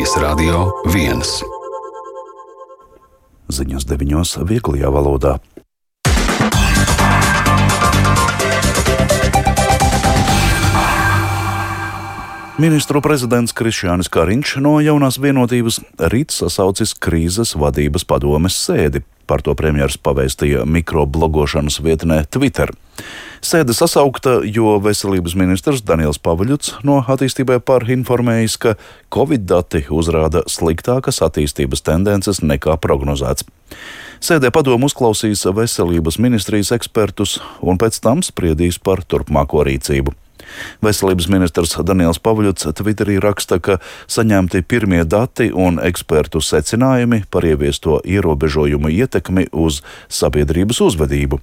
Radio 1. Ziņas 9. vieglajā valodā. Ministru prezidents Krišjānis Kariņš no Jaunās vienotības rīt sasaucis krīzes vadības padomes sēdi. Par to premjers pavēstīja mikroblogošanas vietnē Twitter. Sēde sasaukta, jo veselības ministrs Daniels Pavuļuts no attīstībai par informējis, ka Covid dati uzrāda sliktākas attīstības tendences nekā prognozēts. Sēdē padomu uzklausīs veselības ministrijas ekspertus un pēc tam spriedīs par turpmāko rīcību. Veselības ministrs Daniels Pavuļuts Twitterī raksta, ka saņemti pirmie dati un ekspertu secinājumi par ieviesto ierobežojumu ietekmi uz sabiedrības uzvedību.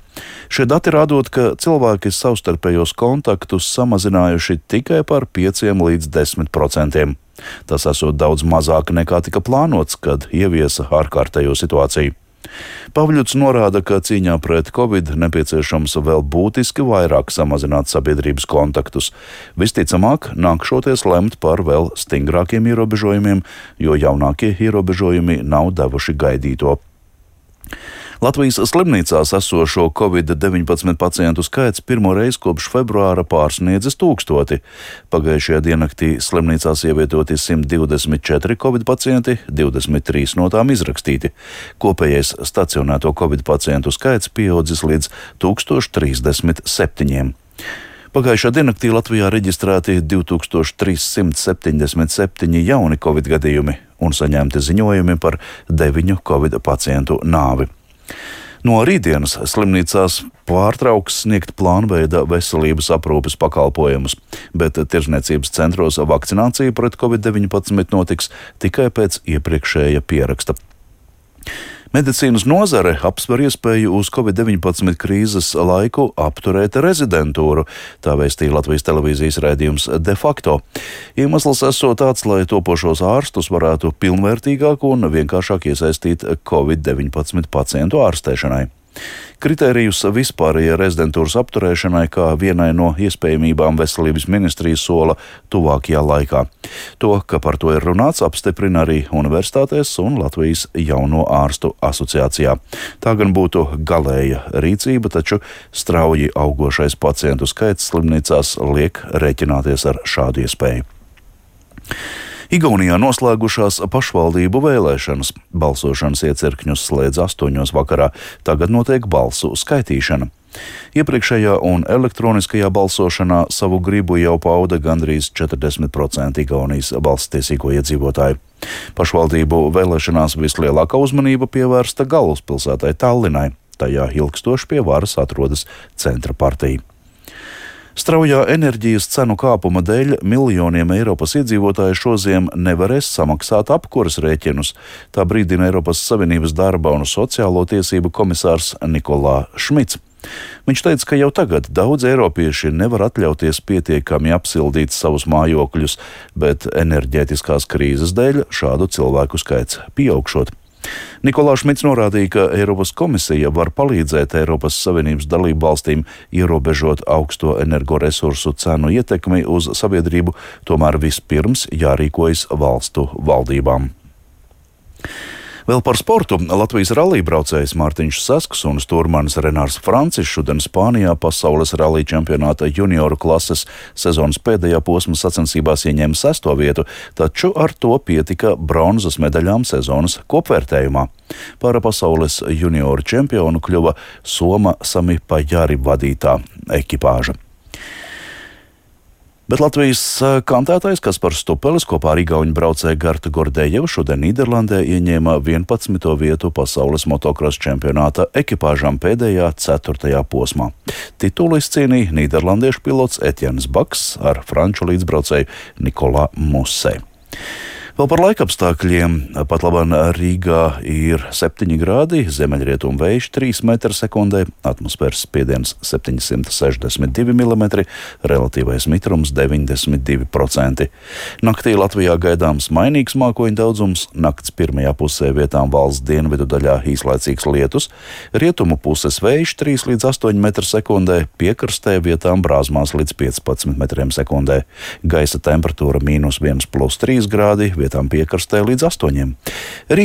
Šie dati rādot, ka cilvēki savstarpējos kontaktus samazinājuši tikai par 5 līdz 10%. Tas esot daudz mazāk nekā tika plānots, kad ieviesa ārkārtējo situāciju. Pavuļuts norāda, ka cīņā pret Covid nepieciešams vēl būtiski vairāk samazināt sabiedrības kontaktus. Visticamāk, nākšoties lemt par vēl stingrākiem ierobežojumiem, jo jaunākie ierobežojumi nav devuši gaidīto. Latvijas slimnīcās esošo Covid-19 pacientu skaits pirmo reizi kopš februāra pārsniedzis 1000. Pagājušajā diennaktī slimnīcās ievietoti 124 Covid pacienti, 23 no tām izrakstīti. Kopējais stacionēto Covid pacientu skaits pieaudzis līdz 1037. Pagājušā diennaktī Latvijā reģistrēti 2377 jauni Covid gadījumi un saņemti ziņojumi par 9 Covid pacientu nāvi. No rītdienas slimnīcās pārtrauks sniegt plānveida veselības aprūpes pakalpojumus, bet tirzniecības centros vakcinācija pret Covid-19 notiks tikai pēc iepriekšēja pieraksta. Medicīnas nozare apsver iespēju uz Covid-19 krīzes laiku apturēt rezidentūru, tā vēstīja Latvijas televīzijas raidījums De facto. Iemesls esot tāds, lai topošos ārstus varētu pilnvērtīgāk un vienkāršāk iesaistīt Covid-19 pacientu ārstēšanai. Kritērijus vispārējai rezidentūras apturēšanai kā vienai no iespējamībām veselības ministrija sola tuvākajā laikā. To, ka par to ir runāts, apstiprina arī universitātēs un Latvijas jauno ārstu asociācijā. Tā gan būtu galēja rīcība, taču strauji augošais pacientu skaits slimnīcās liek rēķināties ar šādu iespēju. Igaunijā noslēgušās pašvaldību vēlēšanas. Balsošanas iecirkņus slēdz 8 vakarā. Tagad notiek balsu skaitīšana. Iepriekšējā un elektroniskajā balsošanā savu gribu jau pauda gandrīz 40% Igaunijas balsstiesīgo iedzīvotāju. Pašvaldību vēlēšanās vislielākā uzmanība pievērsta galvaspilsētai Tallinai. Tajā ilgstoši pie varas atrodas centra partija. Straujā enerģijas cenu kāpuma dēļ miljoniem Eiropas iedzīvotāju šoziem nevarēs samaksāt apkuras rēķinus. Tā brīdina Eiropas Savienības darba un sociālo tiesību komisārs Nikolā Šmits. Viņš teica, ka jau tagad daudz eiropieši nevar atļauties pietiekami apsildīt savus mājokļus, bet enerģētiskās krīzes dēļ šādu cilvēku skaits pieaugšot. Nikolā Šmits norādīja, ka Eiropas komisija var palīdzēt Eiropas Savienības dalību valstīm ierobežot augsto energoresursu cenu ietekmi uz sabiedrību, tomēr vispirms jārīkojas valstu valdībām. Vēl par sportu. Latvijas rallija braucējs Mārtiņš Sasks un stūrmanis Renārs Francis šodien Spānijā pasaules rallija čempionāta junioru klases sezonas pēdējā posma sacensībās ieņēma 6. vietu, taču ar to pietika bronzas medaļām sezonas kopvērtējumā. Par pasaules junioru čempionu kļuva Soma Sami Pajari vadītā ekipāža. Bet Latvijas kantētājs Kaspars Stupelis kopā ar igauņu braucēju Gartu Gordejevu šodien Nīderlandē ieņēma 11. vietu pasaules motokrosa čempionāta ekipāžām pēdējā 4. posmā. Titulu izcīnīja nīderlandiešu pilots Etjens Baks ar franču līdzbraucēju Nikolā Musē. Vēl par laikapstākļiem. Pat labāk Rīgā ir 7 grādi, ziemeļrietumu vējš 3 m/sekundē, atmosfēras spiediens 762 mm, relatīvais mitrums 92%. Naktī Latvijā gaidāms mainīgs mākoņu daudzums, nakts pirmajā pusē vietām valsts dienvidu daļā īslaicīgs lietus, rietumu puses vējš 3 līdz 8 m/sekundē, piekrastē vietām brāzmās līdz 15 m/sekundē. Gaisa temperatūra -1 + 3 grādi, vietām piekrastē līdz 8.